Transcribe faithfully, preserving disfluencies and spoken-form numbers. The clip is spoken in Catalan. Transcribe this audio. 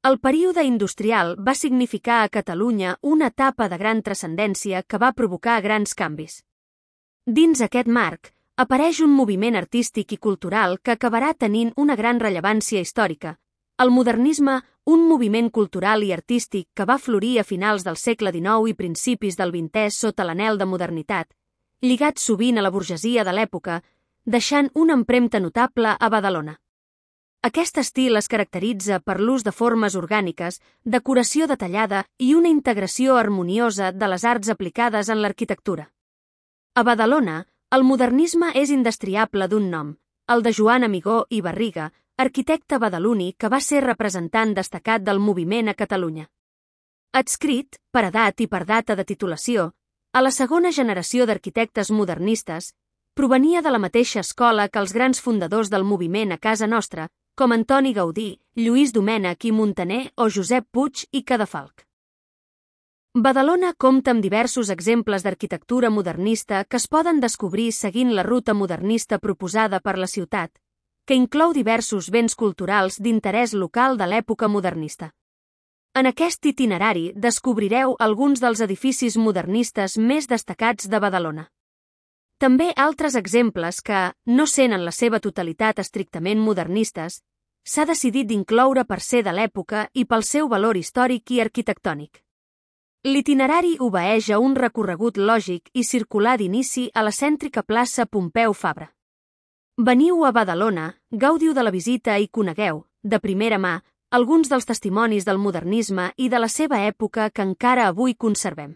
El període industrial va significar a Catalunya una etapa de gran transcendència que va provocar grans canvis. Dins aquest marc, apareix un moviment artístic i cultural que acabarà tenint una gran rellevància històrica. El modernisme, un moviment cultural i artístic que va florir a finals del segle dinou i principis del vintè sota l'anhel de modernitat, lligat sovint a la burgesia de l'època, deixant una empremta notable a Badalona. Aquest estil es caracteritza per l'ús de formes orgàniques, decoració detallada i una integració harmoniosa de les arts aplicades en l'arquitectura. A Badalona, el modernisme és indestriable d'un nom, el de Joan Amigó i Barriga, arquitecte badaloní que va ser representant destacat del moviment a Catalunya. Adscrit, per edat i per data de titulació, a la segona generació d'arquitectes modernistes, provenia de la mateixa escola que els grans fundadors del moviment a casa nostra, com Antoni Gaudí, Lluís Domènech i Muntaner o Josep Puig i Cadafalch. Badalona compta amb diversos exemples d'arquitectura modernista que es poden descobrir seguint la ruta modernista proposada per la ciutat, que inclou diversos béns culturals d'interès local de l'època modernista. En aquest itinerari descobrireu alguns dels edificis modernistes més destacats de Badalona. També altres exemples que, no sent en la seva totalitat estrictament modernistes, s'ha decidit d'incloure per ser de l'època i pel seu valor històric i arquitectònic. L'itinerari obeeix a un recorregut lògic i circular d'inici a la cèntrica plaça Pompeu Fabra. Veniu a Badalona, gaudiu de la visita i conegueu, de primera mà, alguns dels testimonis del modernisme i de la seva època que encara avui conservem.